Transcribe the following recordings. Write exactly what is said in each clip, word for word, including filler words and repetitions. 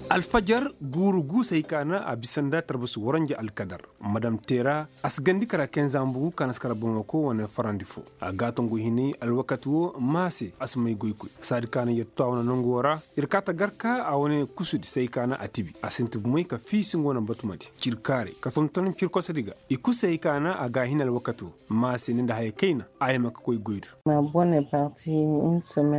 Alfajar guuru guusey ka na a bisa nda tarbasu waranja alkadar madam teera a si gandi kara kenza mbugu ka na si kara bamako wane farandi fo. A gaatongu hinay alwakati wo maa se a si may goykoy saadi ka na yer to a wane nangu wo ra. Ir kaa ta gar ka a wane kusudi se ay ka na a tibi a sinti bumey ka fiisi nga wane batumadi. Cirkaarey ka tonton cirkosadi ga i kul se ay ka na a ga a hin alwakati wo. Maa se ni nda haya kayna a yama ka koy goy do.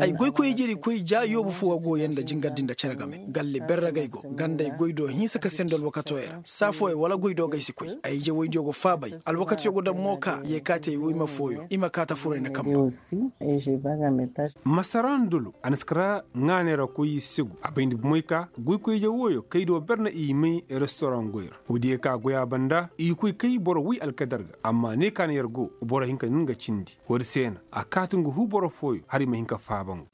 Ay goykoy ijedi koy ja yoobu fo ga go yee nda jingardi nda cere game galle berra ga ay go. Ganda ay goy do hinsa ka sendo alwakatoo ya ra saa fooyaŋ wala goy do ga ay si koy. Ay ije woydiyo go faabay alwakatiyo go daŋ mo ka yee kaati ay woyma fooyo i ma kaa ta furo ay na kambe. Masara ndolo a na si kara ŋaanay ra koy i segu a bayndi bumey ka goykoy ije wooyo kaydiyo ber na i may restoraŋ goy ra. Woodiyo ka goy a banda i koy kay boro woy alkadar ga amma ne ka na yer go boro hinka na nga cindi. Woodi se na a kaati nga huu boro fooyo hala i ma hin ka faaba nga.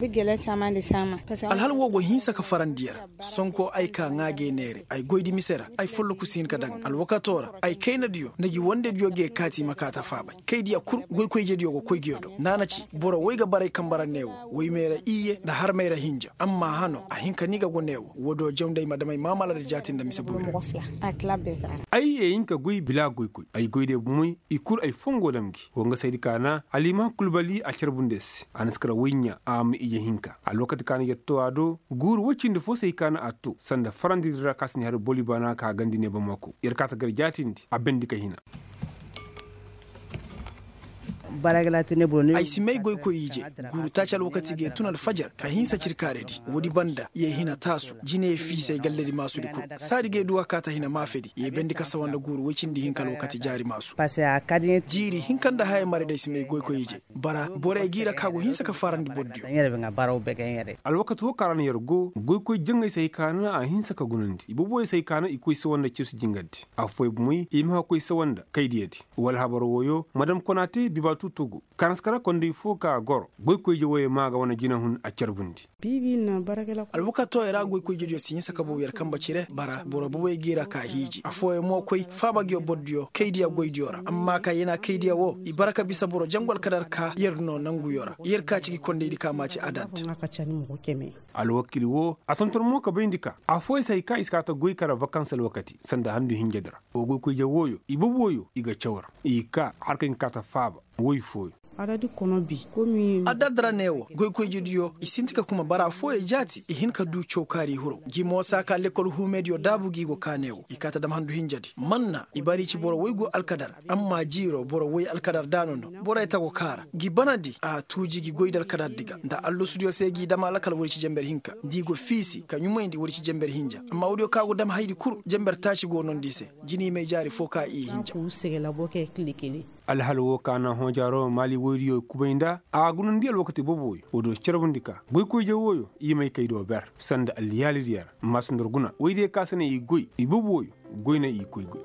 Alhal woo go hinsa ka farandi yer. Sonko ay ka ŋaa g'ay neere ay goydi mise ra ay folloku si hin ka daŋ alwakatoo ra. Ay kaynadiyo nda gi wandediyo g'ay kaati i ma kaa ta faabay kay diya kul goykoy ijediyo go koy nguyo do naana ci boro woy ga bara ay kambe ra neewo woy may ra iyye nda har may ra hinja amma hano a hin ka ni ga go neewo woodiyo jaw nda ay ma dam ay maamala nda jaati nda mise boyra. Ay ye hin ka goy bila goykoy ay goy day bumey i kul ay fongo dam gi wo nga saydi ka na alima kulbali a carbundi ay se a na si kara woy ɲaa a ma ije hinka alwakati ka na yer to a do. Guuru woy cindi fo se ay ka na a to sanda farandi di ra ka si ni har boli baana ka gandi ne bamako yer kaa ta gar jaatindi a bendi ka hina. Ay si may goykoy ije guuru taaci alwakati g'ay tun alfajar ka hinsa cirkaaredi woodi banda yee hina taasu jine fiisay galledi maasudi kul. Saadi g'ay duw'a kaa ta hina maafedi yee bendi ka sawa nda guuru woy cindi hinka alwakati jaari maasu. Jiiri hinka nda haya maraydi ay si may goykoy ije bara borey g'i ra ka go hinsa ka farandi bordiyo. Alwakati woo ka ra no yer go goykoy jaŋay se hay ka na a hinsa ka gunandi ibooboyey se hay ka na i koy sawa nda cebsi jingardi. Affooyaŋ bumey i ma ka koy sawa nda kaydiyadi wala habar wooyo madam konaate bibaatu togo. Kanaskara konday fo ka goro goykoyje wooyo maa ga wane jinahun a carbundi. Alwakatooyo ra goykoyjediyo si hinsa ka bow yer kambe cire bara boro boboy g'i ra ka hiiji affooyaŋ mo koy faaba nguyo bordiyo kaydiya goydiyo ra amma ka yana kaydiya woo i bara ka bisa boro jangu alkadar ka yer no nanguyo ra yer ka ci gi kondaydi ka maa ci adad. Alwakiil woo a tonton mo ka bayndi ka affooyaŋ se hay ka i si kaa ta goy kara vakans alwakati sanda handu hinjedi ra. Wa goykoyje wooyo i boboyo i ga caw ra i kaa har ka hin ka kaa ta faaba woy fooyo. Adad ra neewo goykoyjediyo i sinti ka kuma bara fooyo jaati i hin ka duu cawkaari hiro gi mo saa ka lekkol huumediyo daabu gi go kaa neewo i kaa ta dam handu hinjedi manna i bara i ci boro woy go alkadar. Amma jiiro boro woy alkadar daano no borey tago kaara gi banadi a tuuji gi goy nda alkadardi ga nda allasudiyo se g'i dam alakal woodi ci jenber hinka nda i go fiisi ka ɲumayndi woodi ci jenber hinja amma woodiyo ka go dam hayadi kul jenber taaci go noondi i se. Jinimay jaari foo ka i hinja. Alhal woo ka na hõojaaroo maali woydiyo kubay nda a gunandi alwakati boobo woy woodiyo carbundi ka goykoydiyo wooyo i may kay do ber sanda alliyaalidiyo ra. Maasandor guna woydiyo ka se na i goy i boobo woy goy na i koy goy.